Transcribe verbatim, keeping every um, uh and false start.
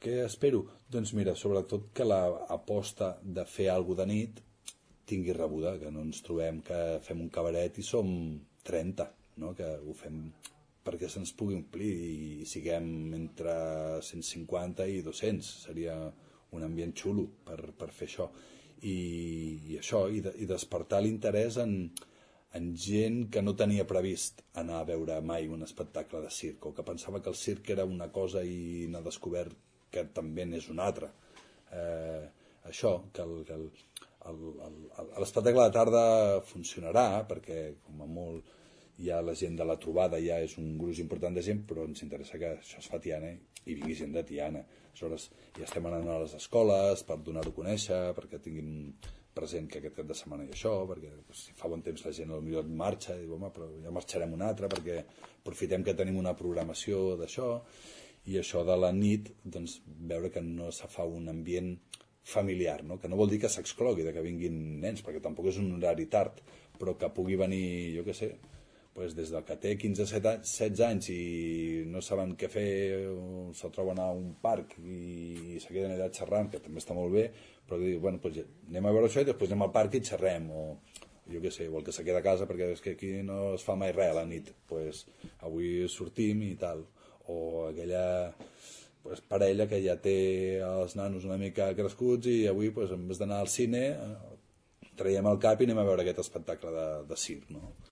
Què espero? Doncs mira, sobretot que l'aposta de fer alguna de nit tingui rebuda, que no ens trobem que fem un cabaret i som trenta, no? Que ho fem perquè se'ns pugui omplir i siguem entre cent cinquanta i dos-cents. Seria un ambient xulo per, per fer això. I, i això, i, de, i despertar l'interès en, en gent que no tenia previst anar a veure mai un espectacle de circ, o que pensava que el circ era una cosa i n'ha descobert que també n'és una altra. Eh, això, que el, que el, el, el, l'espectacle de tarda funcionarà, perquè com a molt hi ha la gent de la trobada, ja és un gruix important de gent, però ens interessa que això es fa a Tiana i vingui gent de Tiana. Aleshores, ja estem anant a les escoles per donar-ho a conèixer, perquè tinguin present que aquest cap de setmana hi ha això, perquè si fa bon temps la gent potser marxa i diu, home, però ja marxarem un altre, perquè aprofitem que tenim una programació d'això, i això de la nit, doncs, veure que no se fa un ambient familiar, no? Que no vol dir que s'exclogui de que vinguin nens, perquè tampoc és un horari tard, però que pugui venir, jo què sé, pues des del que té quinze setze anys i no saben què fer, se troben a un parc i se queden allà xerrant, que també està molt bé, però que diu, bueno, pues anem a veure això i després anem al parc i xerrem, o jo què sé, o el que se queda a casa perquè és que aquí no es fa mai res a la nit, pues avui sortim i tal, o aquella pues, parella que ja té els nanos una mica crescuts i avui pues, en vez d'anar al cine traiem el cap i anem a veure aquest espectacle de, de circ, no?